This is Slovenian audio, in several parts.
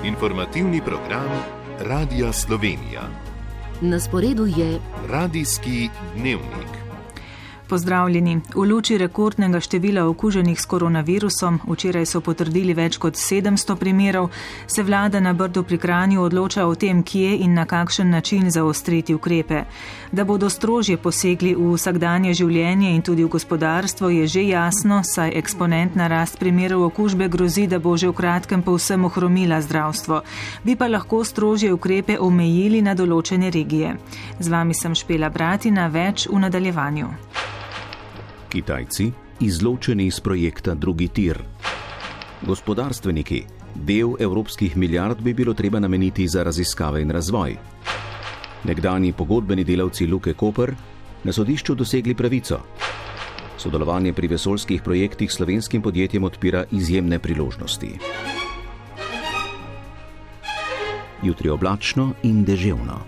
Informativni program Radia Slovenija. Na sporedu je Radijski dnevnik. Pozdravljeni. V luči rekordnega števila okuženih s koronavirusom, včeraj so potrdili več kot 700 primerov, se vlada na Brdu pri Kranju odloča o tem, kje in na kakšen način zaostriti ukrepe. Da bodo strožje posegli v vsakdanje življenje in tudi v gospodarstvo, je že jasno, saj eksponentna rast primerov okužbe grozi, da bo že v kratkem povsem ohromila zdravstvo. Bi pa lahko strožje ukrepe omejili na določene regije. Z vami sem Špela Bratina, več v nadaljevanju. Kitajci izločeni iz projekta drugi tir. Gospodarstveniki, del evropskih milijard bi bilo treba nameniti za raziskave in razvoj. Nekdanji pogodbeni delavci Luke Koper na sodišču dosegli pravico. Sodelovanje pri vesoljskih projektih slovenskim podjetjem odpira izjemne priložnosti. Jutri oblačno in deževno.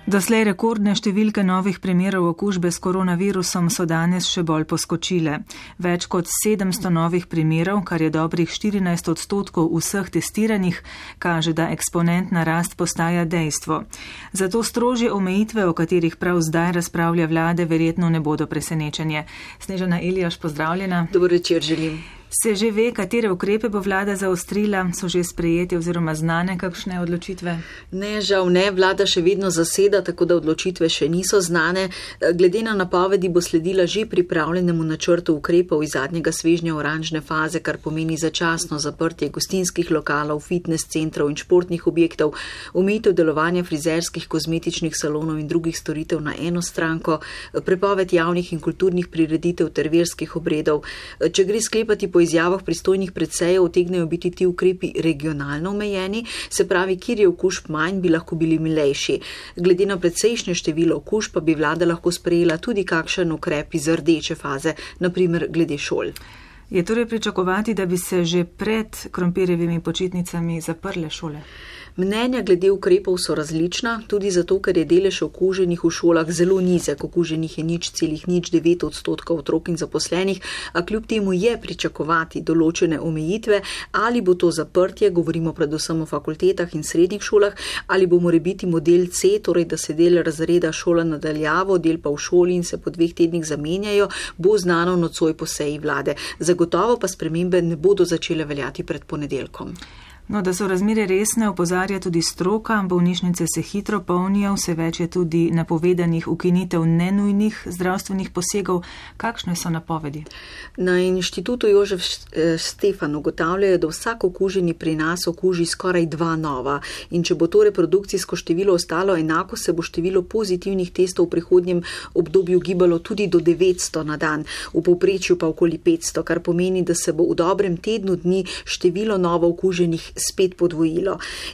Doslej rekordne številke novih primerov okužbe s koronavirusom so danes še bolj poskočile. Več kot 700 novih primerov, kar je dobrih 14% vseh testiranih, kaže, da eksponentna rast postaja dejstvo. Zato strožje omejitve, o katerih prav zdaj razpravlja vlade, verjetno ne bodo presenečenje. Snežana Elijaš, pozdravljena. Dober večer želim. Se že ve, katere ukrepe bo vlada zaostrila, so že sprejeti oziroma znane kakšne odločitve? Ne, žal ne, vlada še vedno zaseda, tako da odločitve še niso znane. Glede na napovedi bo sledila že pripravljenemu načrtu ukrepov iz zadnjega svežnja oranžne faze, kar pomeni začasno zaprtje gostinskih lokalov, fitness centrov in športnih objektov, omejitev delovanja frizerskih, kozmetičnih salonov in drugih storitev na eno stranko, prepoved javnih in kulturnih prireditev ter verskih obredov. Če gre sklepati po izjavah pristojnih predsejev, utegnejo biti ti ukrepi regionalno omejeni, se pravi, kjer je okužb manj, bi lahko bili milejši. Glede na predsejšnje število okužb pa bi vlada lahko sprejela tudi kakšen ukrep iz rdeče faze, na primer glede šol. Je torej pričakovati, da bi se že pred krompirjevimi počitnicami zaprle šole? Mnenja glede ukrepov so različna, tudi zato, ker je delež okuženih v šolah zelo nizek, okuženih je 0,09% otrok in zaposlenih, a kljub temu je pričakovati določene omejitve, ali bo to zaprtje, govorimo predvsem o fakultetah in srednjih šolah, ali bo morebiti model C, torej da se del razreda šola nadaljavo, del pa v šoli in se po 2 tednih zamenjajo, bo znano nocoj po seji vlade. Zagotovo pa spremembe ne bodo začele veljati pred ponedeljkom. No, da so razmere resne, opozarja tudi stroka, bolnišnice se hitro polnijo, vse več je tudi napovedanih ukinitev nenujnih zdravstvenih posegov. Kakšne so napovedi? Na inštitutu Jožef Stefan ugotavljajo, da vsak okuženi pri nas okuži skoraj 2 nova in če bo to reprodukcijsko število ostalo enako, se bo število pozitivnih testov v prihodnjem obdobju gibalo tudi do 900 na dan, v povprečju pa okoli 500, kar pomeni, da se bo v dobrem tednu dni število novo okuženih spet podvojilo.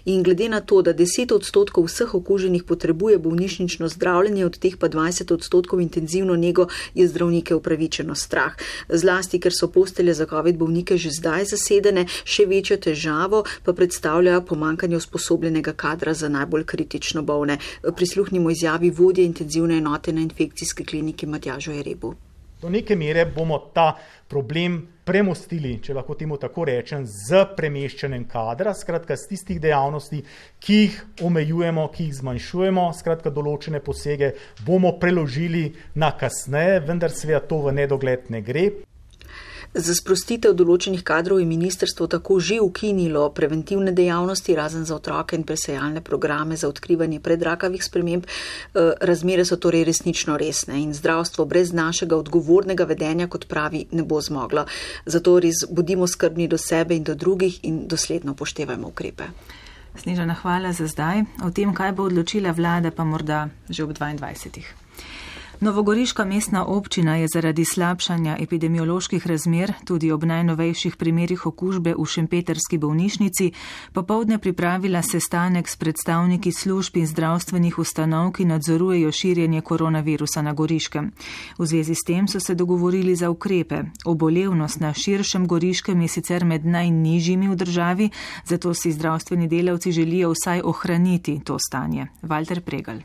In glede na to, da 10% vseh okuženih potrebuje bolnišnično zdravljenje, od teh pa 20% intenzivno nego, je zdravnike upravičeno strah. Zlasti, ker so postelje za COVID bolnike že zdaj zasedene, še večjo težavo pa predstavlja pomanjkanje usposobljenega kadra za najbolj kritično bolne. Prisluhnimo izjavi vodje intenzivne enote na infekcijski kliniki Matjažu Jerebu. Do neke mere bomo ta problem premostili, če lahko temu tako rečem, z premeščanjem kadra, skratka z tistih dejavnosti, ki jih omejujemo, ki jih zmanjšujemo, skratka določene posege bomo preložili na kasneje, vendar seveda to v nedogled ne gre. Za sprostitev določenih kadrov je ministrstvo tako že ukinilo preventivne dejavnosti, razen za otroke in presejalne programe za odkrivanje predrakavih sprememb. Razmere so torej resnično resne in zdravstvo brez našega odgovornega vedenja, kot pravi, ne bo zmoglo. Zato res bodimo skrbni do sebe in do drugih in dosledno upoštevajmo ukrepe. Snežana, hvala za zdaj. O tem, kaj bo odločila vlada, pa morda že ob 22. Novogoriška mestna občina je zaradi slabšanja epidemioloških razmer tudi ob najnovejših primerih okužbe v šempetrski bolnišnici popoldne pripravila sestanek s predstavniki služb in zdravstvenih ustanov, ki nadzorujejo širjenje koronavirusa na Goriškem. V zvezi s tem so se dogovorili za ukrepe. Obolevnost na širšem Goriškem je sicer med najnižjimi v državi, zato si zdravstveni delavci želijo vsaj ohraniti to stanje. Walter Pregelj.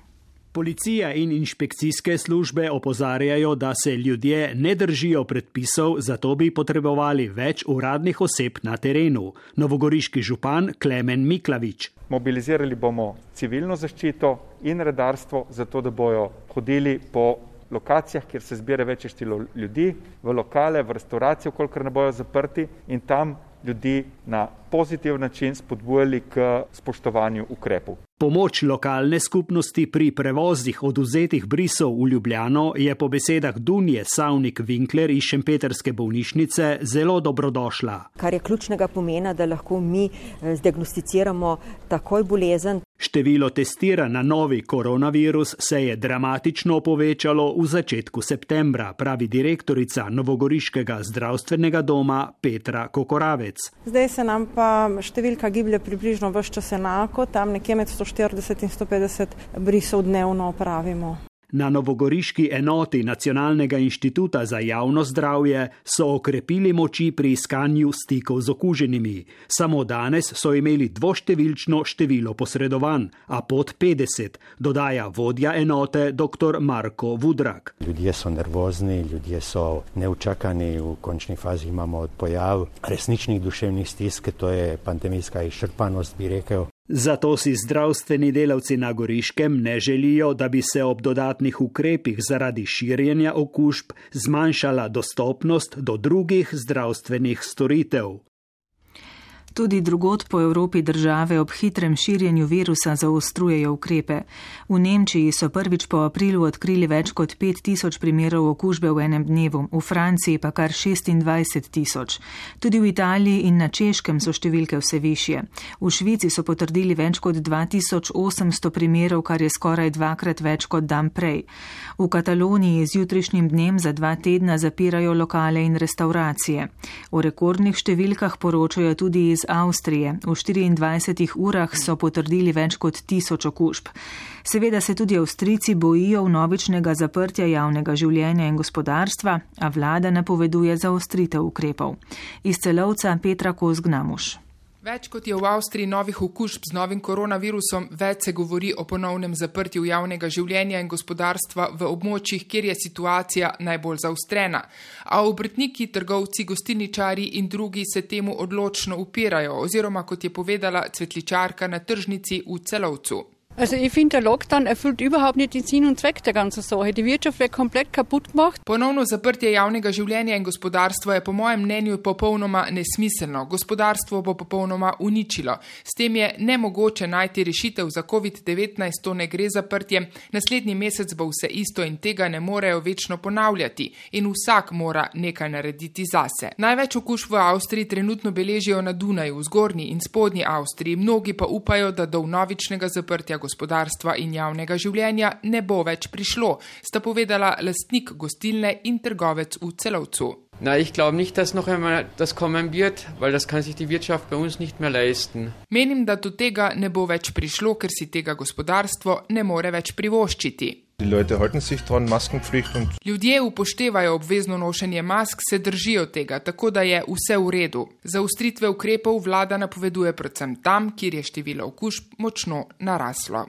Policija in inšpekcijske službe opozarjajo, da se ljudje ne držijo predpisov, zato bi potrebovali več uradnih oseb na terenu. Novogoriški župan Klemen Miklavič. Mobilizirali bomo civilno zaščito in redarstvo, zato da bojo hodili po lokacijah, kjer se zbira večje število ljudi, v lokale, v restauracije, kolikor ne bojo zaprti, in tam ljudi na pozitiven način spodbujali k spoštovanju ukrepov. Pomoč lokalne skupnosti pri prevozih odvzetih brisov v Ljubljano je po besedah Dunje Savnik-Winkler iz šempetrske bolnišnice zelo dobrodošla. Kar je ključnega pomena, da lahko mi zdiagnosticiramo takoj bolezen. Število testiranj na novi koronavirus se je dramatično povečalo v začetku septembra, pravi direktorica Novogoriškega zdravstvenega doma Petra Kokoravec. Zdaj se nam pa številka giblje približno ves čas enako, tam nekje med 140 in 150 brisov dnevno opravimo. Na novogoriški enoti Nacionalnega inštituta za javno zdravje so okrepili moči pri iskanju stikov z okuženimi. Samo danes so imeli dvoštevilčno število posredovanj, a pod 50, dodaja vodja enote dr. Marko Vudrak. Ljudje so nervozni, ljudje so neučakani, v končni fazi imamo pojav resničnih duševnih stisk, to je pandemijska izčrpanost, bi rekel. Zato si zdravstveni delavci na Goriškem ne želijo, da bi se ob dodatnih ukrepih zaradi širjenja okužb zmanjšala dostopnost do drugih zdravstvenih storitev. Tudi drugod po Evropi države ob hitrem širjenju virusa zaostrujejo ukrepe. V Nemčiji so prvič po aprilu odkrili več kot 5000 primerov okužbe v enem dnevu, v Franciji pa kar 26 000. Tudi v Italiji in na Češkem so številke vse višje. V Švici so potrdili več kot 2800 primerov, kar je skoraj dvakrat več kot dan prej. V Kataloniji z jutrišnjim dnem za 2 tedna zapirajo lokale in restauracije. O rekordnih številkah poročajo tudi iz Avstrije. V 24 urah so potrdili več kot 1000 okužb. Seveda se tudi Avstrijci bojijo vnovičnega zaprtja javnega življenja in gospodarstva, a vlada napoveduje zaostritev ukrepov. Iz Celovca Petra Kozgnamuš. Več kot je v Avstriji novih okužb z novim koronavirusom, več se govori o ponovnem zaprtju javnega življenja in gospodarstva v območjih, kjer je situacija najbolj zaostrena. A obrtniki, trgovci, gostilničari in drugi se temu odločno upirajo, oziroma kot je povedala cvetličarka na tržnici v Celovcu. Also ich finde, der Lockdown erfüllt überhaupt nicht den Sinn und Zweck der ganzen Sache. Die Wirtschaft wird komplett kaputt gemacht. Ponovno zaprtje javnega življenja in gospodarstva je po mojem mnenju popolnoma nesmiselno. Gospodarstvo bo popolnoma uničilo. S tem je nemogoče najti rešitev za COVID-19, to ne gre zaprtje. Naslednji mesec bo vse isto in tega ne morejo večno ponavljati. In vsak mora nekaj narediti zase. Največ okužb v Avstriji trenutno beležijo na Dunaju, v zgornji in spodnji Avstriji. Mnogi pa upajo, da do vnovičnega zaprtja gospodarstva in javnega življenja ne bo več prišlo, sta povedala lastnik gostilne in trgovec v Celovcu. Na, ich glaube nicht, dass noch einmal das kommen wird, weil das kann sich die Wirtschaft bei uns nicht mehr leisten. Menim, da do tega ne bo več prišlo, ker si tega gospodarstvo ne more več privoščiti. Ljudje upoštevajo obvezno nošenje mask, se držijo tega, tako da je vse v redu. Zaostritve ukrepov vlada napoveduje predvsem tam, kjer je število okužb močno naraslo.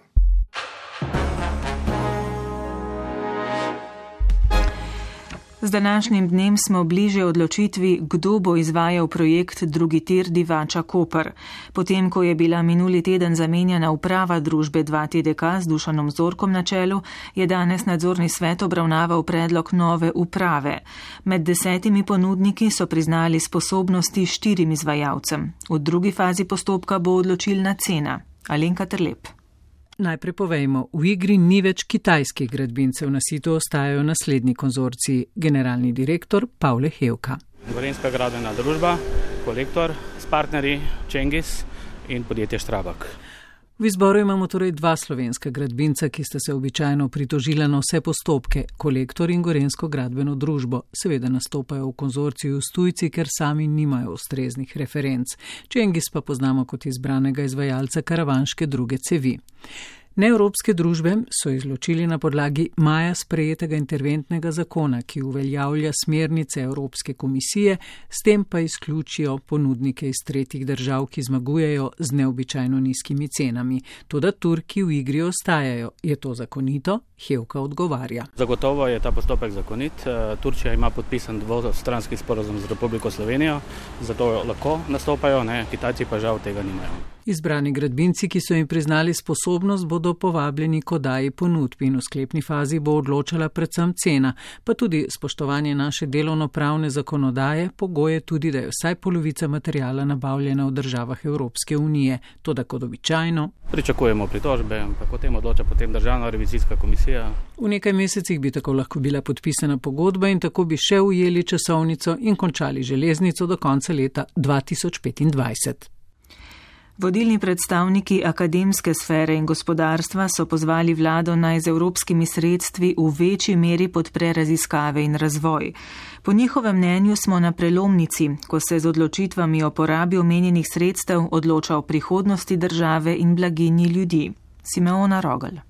Z današnjim dnem smo bliže odločitvi, kdo bo izvajal projekt drugi tir Divača-Koper. Potem, ko je bila minuli teden zamenjana uprava družbe 2TDK z Dušanom Zorkom na čelu, je danes nadzorni svet obravnaval predlog nove uprave. Med 10 ponudniki so priznali sposobnosti 4 izvajalcem. V drugi fazi postopka bo odločilna cena. Alenka Terlep. Najprej povejmo, v igri ni več kitajskih gradbincev, na situ ostajajo naslednji konzorciji, generalni direktor Pavle Hevka. Gorenjska gradbena družba, Kolektor s partnerji Čengis in podjetje Štrabak. V izboru imamo torej 2 slovenska gradbinca, ki sta se običajno pritožila na vse postopke, Kolektor in Gorenjsko gradbeno družbo. Seveda nastopajo v konzorciju s tujci, ker sami nimajo ustreznih referenc. Čengis pa poznamo kot izbranega izvajalca karavanške druge cevi. Neevropske družbe so izločili na podlagi maja sprejetega interventnega zakona, ki uveljavlja smernice Evropske komisije, s tem pa izključijo ponudnike iz tretjih držav, ki zmagujejo z neobičajno nizkimi cenami. Toda Turki v igri ostajajo. Je to zakonito? Hevka odgovarja. Zagotovo je ta postopek zakonit. Turčija ima podpisan dvostranski sporazum z Republiko Slovenijo, zato lahko nastopajo, Kitajci pa žal tega nimajo. Izbrani gradbinci, ki so jim priznali sposobnost, bodo povabljeni k oddaji ponudb in v sklepni fazi bo odločala predvsem cena, pa tudi spoštovanje naše delovnopravne zakonodaje, pogoje tudi, da je vsaj polovica materijala nabavljena v državah Evropske unije, toda kot običajno. Pričakujemo pritožbe, ampak o tem odloča potem Državna revizijska komisija. V nekaj mesecih bi tako lahko bila podpisana pogodba in tako bi še ujeli časovnico in končali železnico do konca leta 2025. Vodilni predstavniki akademske sfere in gospodarstva so pozvali vlado naj z evropskimi sredstvi v večji meri podpre raziskave in razvoj. Po njihovem mnenju smo na prelomnici, ko se z odločitvami o porabi omenjenih sredstev odloča o prihodnosti države in blaginji ljudi. Simeona Rogelj.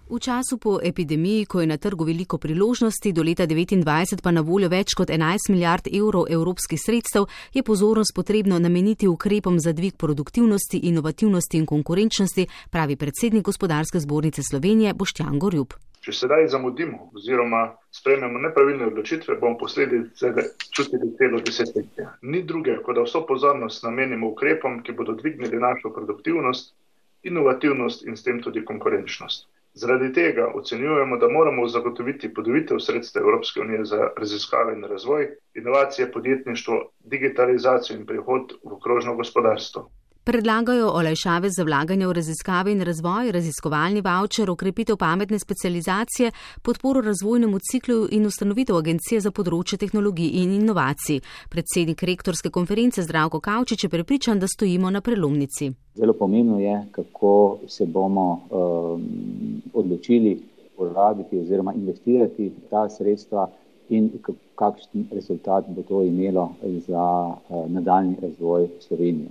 V času po epidemiji, ko je na trgu veliko priložnosti, do leta 2029 pa na voljo več kot 11 milijard evrov evropskih sredstev, je pozornost potrebno nameniti ukrepom za dvig produktivnosti, inovativnosti in konkurenčnosti, pravi predsednik Gospodarske zbornice Slovenije Boštjan Gorjup. Če sedaj zamudimo oziroma sprejmemo nepravilne odločitve, bomo posledice čutili celo desetletje. Ni druge, kot da vso pozornost namenimo ukrepom, ki bodo dvignili našo produktivnost, inovativnost in s tem tudi konkurenčnost. Zaradi tega ocenjujemo, da moramo zagotoviti podvojitev sredstev Evropske unije za raziskave in razvoj, inovacije, podjetništvo, digitalizacijo in prehod v krožno gospodarstvo. Predlagajo olajšave za vlaganje v raziskave in razvoj, raziskovalni vaučer, okrepitev pametne specializacije, podporo razvojnemu ciklu in ustanovitev agencije za področje tehnologij in inovacij. Predsednik rektorske konference Zdravko Kavčič je prepričan, da stojimo na prelomnici. Zelo pomembno je, kako se bomo odločili porabiti oziroma investirati ta sredstva in kakšen rezultat bo to imelo za nadaljnji razvoj Slovenije.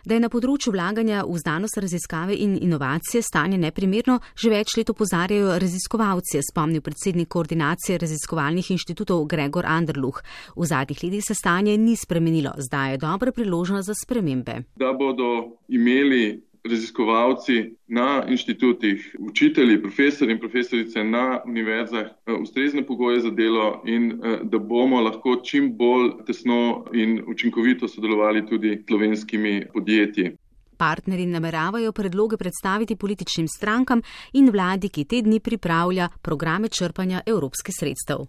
Da je na področju vlaganja v znanost, raziskave in inovacije stanje neprimerno, že več let opozarjajo raziskovalci, spomnil predsednik koordinacije raziskovalnih inštitutov Gregor Anderluh. V zadnjih letih se stanje ni spremenilo, zdaj je dobra priložnost za spremembe. Da bodo imeli raziskovalci na inštitutih, učitelji, profesori in profesorice na univerzah ustrezne pogoje za delo in da bomo lahko čim bolj tesno in učinkovito sodelovali tudi s slovenskimi podjetji. Partnerji nameravajo predloge predstaviti političnim strankam in vladi, ki te dni pripravlja programe črpanja evropskih sredstev.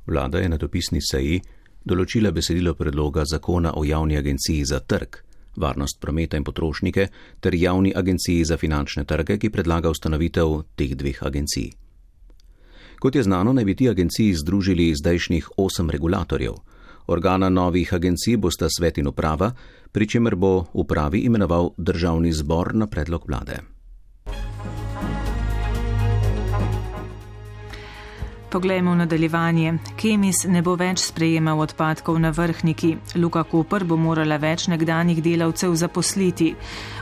Vlada je na dopisni seji določila besedilo predloga zakona o javni agenciji za trg, varnost prometa in potrošnike ter javni agenciji za finančne trge, ki predlaga ustanovitev teh dveh agencij. Kot je znano, naj bi ti agenciji združili zdajšnjih 8 regulatorjev. Organa novih agencij bosta svet in uprava, pri čemer bo upravi imenoval državni zbor na predlog vlade. Poglejmo v nadaljevanje. Kemis ne bo več sprejemal odpadkov na Vrhniki. Luka Koper bo morala več nekdanjih delavcev zaposliti.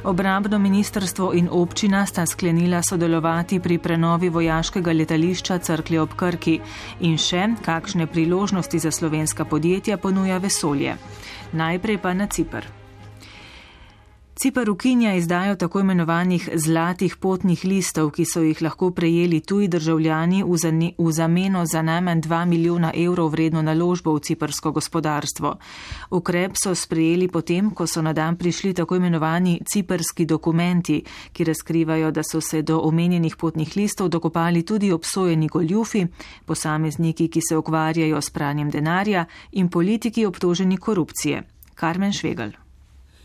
Obrambno ministrstvo in občina sta sklenila sodelovati pri prenovi vojaškega letališča Cerklje ob Krki. In še, kakšne priložnosti za slovenska podjetja ponuja vesolje. Najprej pa na Ciper. Ciper ukinja izdajo tako imenovanih zlatih potnih listov, ki so jih lahko prejeli tuji državljani v zameno za najmanj 2 milijona evrov vredno naložbo v cipersko gospodarstvo. Ukrep so sprejeli potem, ko so na dan prišli tako imenovani ciperski dokumenti, ki razkrivajo, da so se do omenjenih potnih listov dokopali tudi obsojeni goljufi, posamezniki, ki se ukvarjajo s pranjem denarja in politiki obtoženi korupcije. Karmen Švegelj.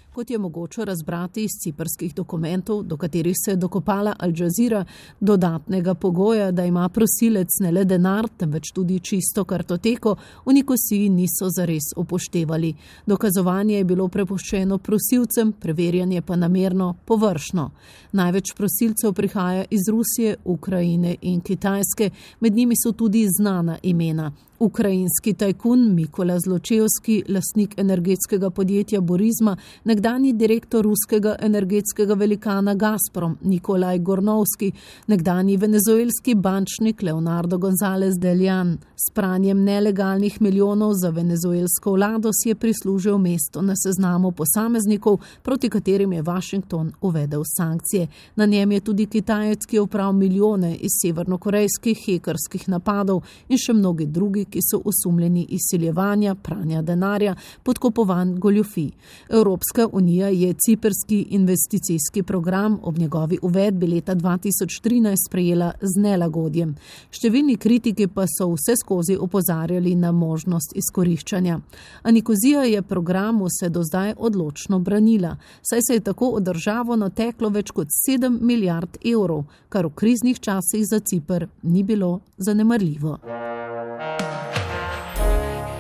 Kot je mogoče razbrati iz ciprskih dokumentov, do katerih se je dokopala Al Jazeera, dodatnega pogoja, da ima prosilec ne le denar, temveč tudi čisto kartoteko, v Nikosiji niso zares upoštevali. Dokazovanje je bilo prepuščeno prosilcem, preverjanje pa namerno površno. Največ prosilcev prihaja iz Rusije, Ukrajine in Kitajske, med njimi so tudi znana imena. Ukrajinski tajkun Mikola Zločevski, lastnik energetskega podjetja Burisma, nekdanji direktor ruskega energetskega velikana Gazprom Nikolaj Gornovski, nekdanji venezuelski bančnik Leonardo González de León. S pranjem nelegalnih milijonov za venezuelsko vlado si je prislužil mesto na seznamu posameznikov, proti katerim je Washington uvedel sankcije. Na njem je tudi Kitajec, ki je opral milijone iz severnokorejskih hekerskih napadov in še mnogi drugi, ki so osumljeni izsiljevanja, pranja denarja, podkupovanj, goljufij. Evropska unija je ciprski investicijski program ob njegovi uvedbi leta 2013 sprejela z nelagodjem. Številni kritiki pa so vseskozi opozarjali na možnost izkoriščanja. A Nikozija je programu se do zdaj odločno branila, saj se je tako od državo nateklo več kot 7 milijard evrov, kar v kriznih časih za Ciper ni bilo zanemarljivo.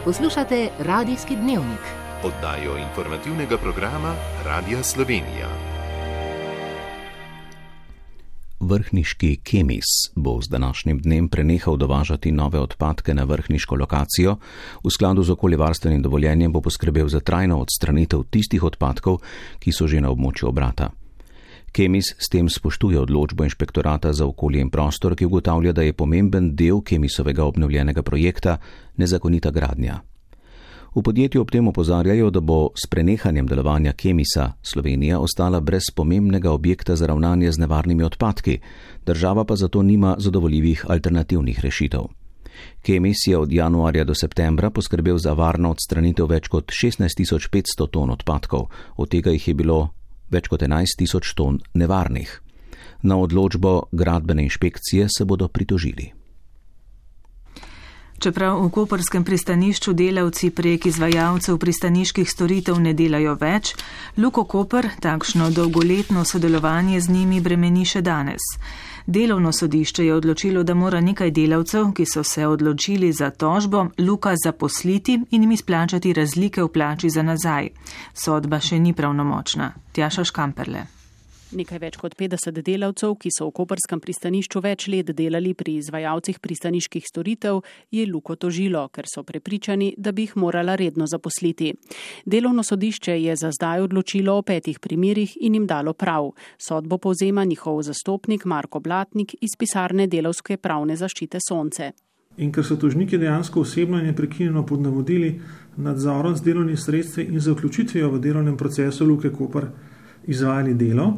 Poslušate Radijski dnevnik, oddajo informativnega programa Radija Slovenija. Vrhniški Kemis bo z današnjim dnem prenehal dovažati nove odpadke na vrhniško lokacijo. V skladu z okoljevarstvenim dovoljenjem bo poskrbel za trajno odstranitev tistih odpadkov, ki so že na območju obrata. Kemis s tem spoštuje odločbo Inšpektorata za okolje in prostor, ki ugotavlja, da je pomemben del Kemisovega obnovljenega projekta nezakonita gradnja. V podjetju ob tem opozarjajo, da bo s prenehanjem delovanja Kemisa Slovenija ostala brez pomembnega objekta za ravnanje z nevarnimi odpadki, država pa zato nima zadovoljivih alternativnih rešitev. Kemis je od januarja do septembra poskrbel za varno odstranitev več kot 16.500 ton odpadkov, od tega jih je bilo več kot 11.000 ton nevarnih. Na odločbo gradbene inšpekcije se bodo pritožili. Čeprav v koperskem pristanišču delavci prek izvajalcev pristaniških storitev ne delajo več, Luko Koper takšno dolgoletno sodelovanje z njimi bremeni še danes. Delovno sodišče je odločilo, da mora nekaj delavcev, ki so se odločili za tožbo, Luka zaposliti in jim izplačati razlike v plači za nazaj. Sodba še ni pravnomočna. Tjaša Škamperle. Nekaj več kot 50 delavcev, ki so v koperskem pristanišču več let delali pri izvajalcih pristaniških storitev, je Luko tožilo, ker so prepričani, da bi jih morala redno zaposliti. Delovno sodišče je za zdaj odločilo o 5 primerih in jim dalo prav. Sodbo povzema njihov zastopnik Marko Blatnik iz pisarne Delavske pravne zaščite Sonce. In ker so tožniki dejansko osebno in neprekinjeno pod navodili, nadzorom z delovnih sredstvi in za vključitvijo v delovnem procesu Luke Koper izvajali delo,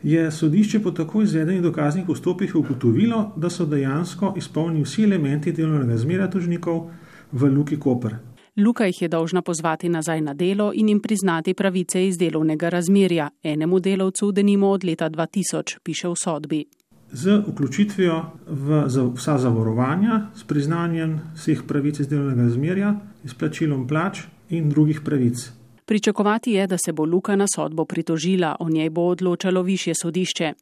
je sodišče po tako izvedenih dokaznih postopkih ugotovilo, da so dejansko izpolnili vsi elementi delovnega razmerja tožnikov v Luki Koper. Luka jih je dolžna pozvati nazaj na delo in jim priznati pravice iz delovnega razmerja, enemu delavcu denimo od leta 2000, piše v sodbi. Z vključitvijo v vsa zavarovanja, s priznanjem vseh pravic iz delovnega razmerja, izplačilom plač in drugih pravic. Pričakovati je, da se bo Luka na sodbo pritožila, o njej bo odločalo višje sodišče.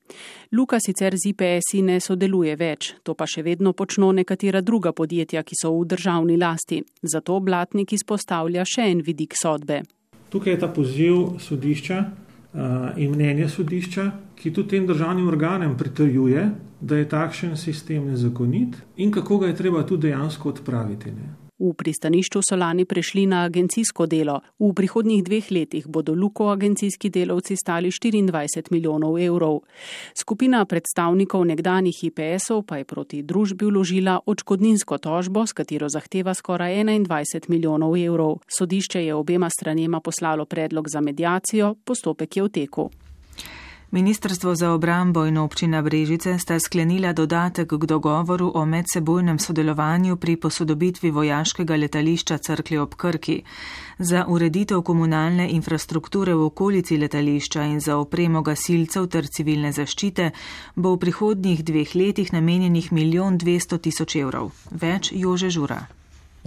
Luka sicer z IPS-i ne sodeluje več, to pa še vedno počno nekatera druga podjetja, ki so v državni lasti. Zato Blatnik izpostavlja še en vidik sodbe. Tukaj je ta poziv sodišča in mnenje sodišča, ki tudi tem državnim organem pritrjuje, da je takšen sistem nezakonit in kako ga je treba tudi dejansko odpraviti. V pristanišču so lani prešli na agencijsko delo. V prihodnjih 2 letih bodo Luko agencijski delavci stali 24 milijonov evrov. Skupina predstavnikov nekdanjih IPS-ov pa je proti družbi vložila odškodninsko tožbo, s katero zahteva skoraj 21 milijonov evrov. Sodišče je obema stranema poslalo predlog za mediacijo, postopek je v teku. Ministrstvo za obrambo in občina Brežice sta sklenila dodatek k dogovoru o medsebojnem sodelovanju pri posodobitvi vojaškega letališča Cerklje ob Krki. Za ureditev komunalne infrastrukture v okolici letališča in za opremo gasilcev ter civilne zaščite bo v prihodnjih 2 letih namenjenih 1 200 000 evrov. Več Jože Žura.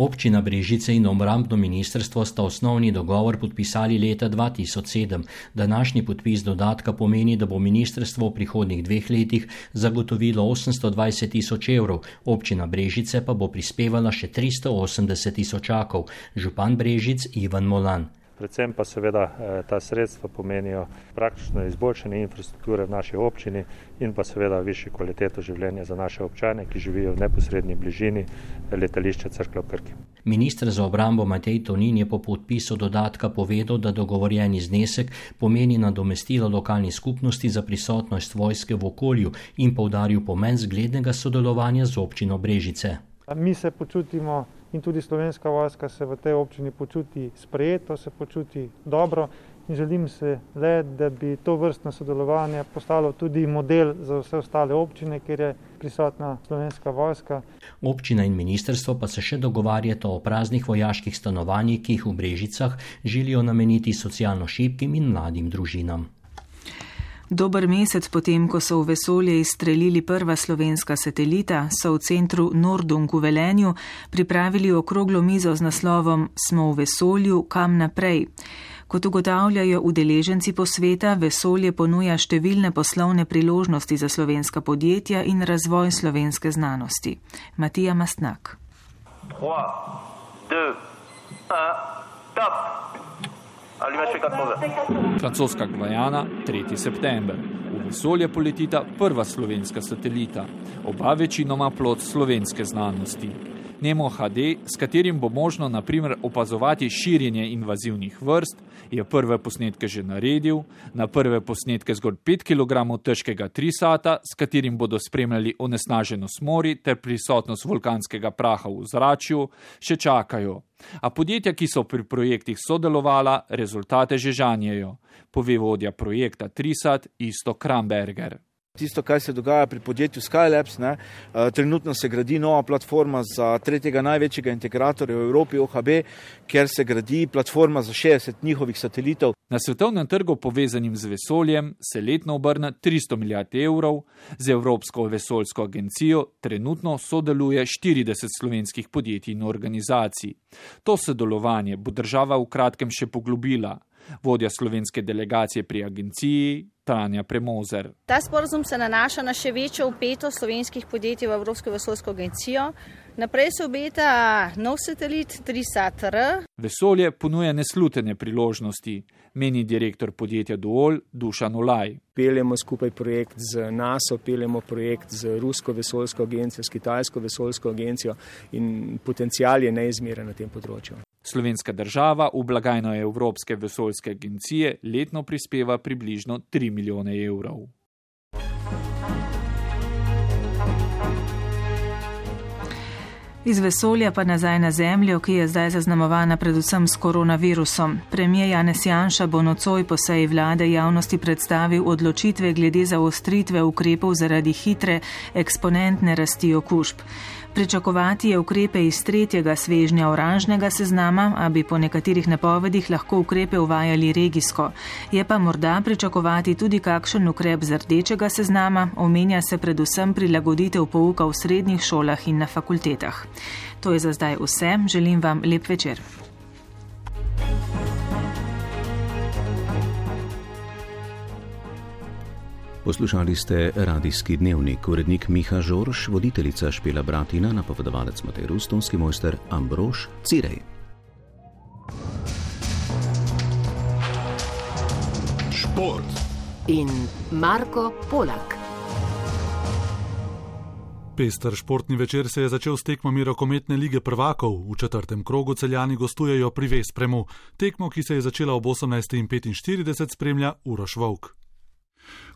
Občina Brežice in obrambno ministrstvo sta osnovni dogovor podpisali leta 2007. Današnji podpis dodatka pomeni, da bo ministrstvo v prihodnjih 2 letih zagotovilo 820 000 evrov, občina Brežice pa bo prispevala še 380 000. Župan Brežic Ivan Molan. predvsem pa seveda ta sredstva pomenijo praktično izboljšanje infrastrukture v naši občini in pa seveda višjo kvaliteto življenja za naše občane, ki živijo v neposrednji bližini letališča Cerklje ob Krki. Minister za obrambo Matej Tonin je po podpisu dodatka povedal, da dogovorjeni znesek pomeni nadomestilo lokalni skupnosti za prisotnost vojske v okolju in poudaril pomen zglednega sodelovanja z občino Brežice. Mi se počutimo in tudi Slovenska vojska se v tej občini počuti sprejeto, se počuti dobro in želim se le, da bi to vrstno sodelovanje postalo tudi model za vse ostale občine, kjer je prisotna Slovenska vojska. Občina in ministrstvo pa se še dogovarjata o praznih vojaških stanovanjih, ki jih v Brežicah želijo nameniti socialno šibkim in mladim družinam. Dober mesec potem, ko so v vesolje izstrelili prva slovenska satelita, so v centru Nordung v Velenju pripravili okroglo mizo z naslovom Smo v vesolju, kam naprej. Kot ugotavljajo udeleženci posveta, vesolje ponuja številne poslovne priložnosti za slovenska podjetja in razvoj slovenske znanosti. Matija Mastnak. 3, 2, 1, top! Francoska Gvajana, 3. september. V vesolje poletita prva slovenska satelita, oba večinoma plod slovenske znanosti. Nemo HD, s katerim bo možno na primer opazovati širjenje invazivnih vrst, je prve posnetke že naredil, na prve posnetke zgolj 5 kg težkega trisata, s katerim bodo spremljali onesnaženost morja ter prisotnost vulkanskega praha v ozračju, še čakajo. A podjetja, ki so pri projektih sodelovala, rezultate že žanjejo, pove vodja projekta Trisat Isto Kramberger. Tisto, kaj se dogaja pri podjetju Skylabs, trenutno se gradi nova platforma za tretjega največjega integratorja v Evropi, OHB, kjer se gradi platforma za 60 njihovih satelitov. Na svetovnem trgu povezanim z vesoljem se letno obrne 300 milijard evrov, z Evropsko vesoljsko agencijo trenutno sodeluje 40 slovenskih podjetij in organizacij. To sodelovanje bo država v kratkem še poglobila. Vodja slovenske delegacije pri agenciji Tanja Premozer. Ta sporazum se nanaša na še večjo vpetost slovenskih podjetij v Evropsko vesoljsko agencijo. Naprej se obeta nov satelit Trisat-R. Vesolje ponuja neslutene priložnosti, meni direktor podjetja Duol Dušan Olaj. Peljemo skupaj projekt z NATO, peljemo projekt z Rusko vesoljsko agencijo, s Kitajsko vesoljsko agencijo in potencial je neizmeren na tem področju. Slovenska država v blagajno Evropske vesoljske agencije letno prispeva približno 3 milijone evrov. Iz vesolja pa nazaj na Zemljo, ki je zdaj zaznamovana predvsem s koronavirusom. Premijer Janez Janša bo nocoj po seji vlade javnosti predstavil odločitve glede zaostritve ukrepov zaradi hitre eksponentne rasti okužb. Pričakovati je ukrepe iz tretjega svežnja oranžnega seznama, a bi po nekaterih napovedih lahko ukrepe uvajali regijsko. Je pa morda pričakovati tudi kakšen ukrep z rdečega seznama, omenja se predvsem prilagoditev pouka v srednjih šolah in na fakultetah. To je za zdaj vse, želim vam lep večer. Poslušali ste radijski dnevnik, urednik Miha Žorž, voditeljica Špela Bratina, napovedovalec Matej Rus, tonski mojster Ambrož Cirej. Šport in Marko Polak. Pester športni večer se je začel s tekmami rokometne lige prvakov. V četrtem krogu Celjani gostujejo pri Vespremu. Tekmo, ki se je začela ob 18:45, spremlja Uroš Volk.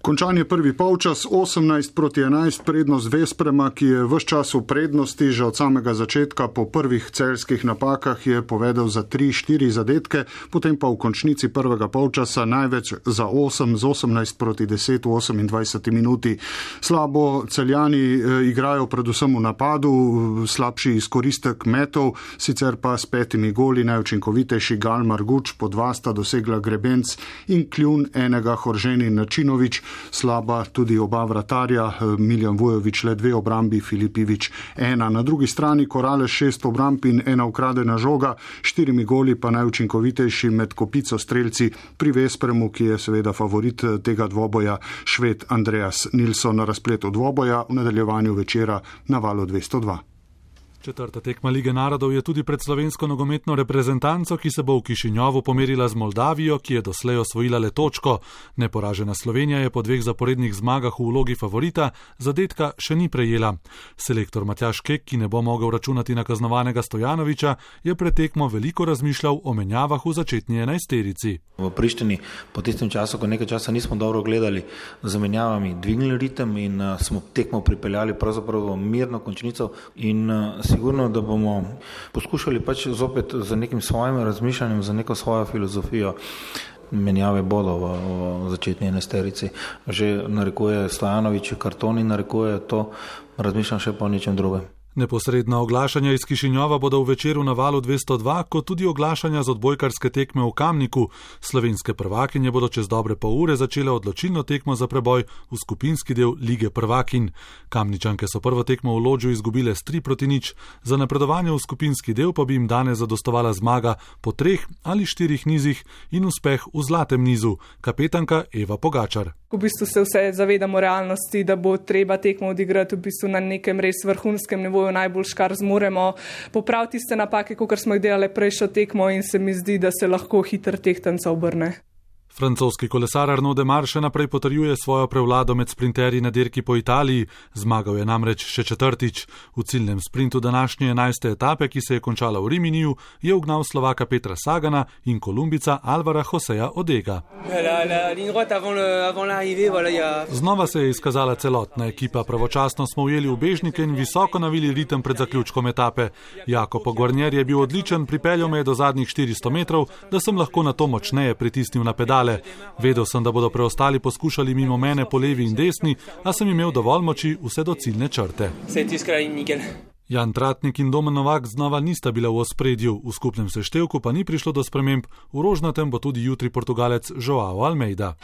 Končan je prvi polčas, 18:11 prednost Vesprema, ki je ves čas v prednosti, že od samega začetka po prvih celjskih napakah je povedal za 3-4 zadetke, potem pa v končnici prvega polčasa največ za 8 z 18:10 v 28 minuti. Slabo Celjani igrajo predvsem v napadu, slabši izkoristek metov, sicer pa s 5 goli najučinkovitejši Gal Marguč, po 2 sta dosegla Grebenc in kljun enega Horženi Načinovič, slaba tudi oba vratarja, Miljan Vujović le 2 obrambi, Filipivič 1. Na drugi strani Korale 6 obramb in 1 ukradena žoga, 4 goli pa najučinkovitejši med kopico strelci pri Vespremu, ki je seveda favorit tega dvoboja, Šved Andreas Nilsson. Na razpletu dvoboja v nadaljevanju večera na valu 202. Četrta tekma Lige narodov je tudi pred slovensko nogometno reprezentanco, ki se bo v Kišinjovu pomerila z Moldavijo, ki je doslej osvojila le točko. Neporažena Slovenija je po 2 zaporednih zmagah v vlogi favorita, zadetka še ni prejela. Selektor Matjaž Kek, ki ne bo mogel računati na kaznovanega Stojanovića, je pred tekmo veliko razmišljal o menjavah v začetni 11-terici. V Prištini po tistem času, ko nekaj časa nismo dobro gledali, z menjavami dvignili ritem in smo tekmo pripeljali pravzaprav v mirno končnico in sigurno, da bomo poskušali pač zopet z nekim svojim razmišljanjem, za neko svojo filozofijo. Menjave bodo v začetni 11-terici. Že narekuje Stojanović karton in narekuje to, razmišljam še po nečem drugem. Neposredna oglašanja iz Kišinjova bodo v Večeru na Valu 202, kot tudi oglašanja z odbojkarske tekme v Kamniku. Slovenske prvakinje bodo čez dobre pol ure začele odločilno tekmo za preboj v skupinski del Lige prvakinj. Kamničanke so prvo tekmo v Lodžu izgubile s 3-0. Za napredovanje v skupinski del pa bi jim danes zadostovala zmaga po 3 ali 4 nizih in uspeh v zlatem nizu. Kapetanka Eva Pogačar. V bistvu se vse zavedamo realnosti, da bo treba tekmo odigrati v bistvu na nekem res vrhunskem nivoju, najbolj kar zmoremo, popraviti tiste napake, kot smo jih delali prejšnjo tekmo in se mi zdi, da se lahko hiter tehtanca obrne. Francoski kolesar Arnaud Démare še naprej potrjuje svojo prevlado med sprinterji na dirki po Italiji, zmagal je namreč še 4. V ciljnem sprintu današnje 11. etape, ki se je končala v Riminiju, je ugnal Slovaka Petra Sagana in Kolumbica Alvara Joseja Odega. Znova se je izkazala celotna ekipa, pravočasno smo ujeli ubežnike in visoko navili ritem pred zaključkom etape. Jakob Guarnier je bil odličen, pripeljal me je do zadnjih 400 metrov, da sem lahko na to močneje pritisnil na pedale. Vedel sem, da bodo preostali poskušali mimo mene po levi in desni, a sem imel dovolj moči vse do ciljne črte. Jan Tratnik in Domen Novak znova nista bila v ospredju, v skupnem seštevku pa ni prišlo do sprememb, v Rožnatem bo tudi jutri Portugalec Joao Almeida.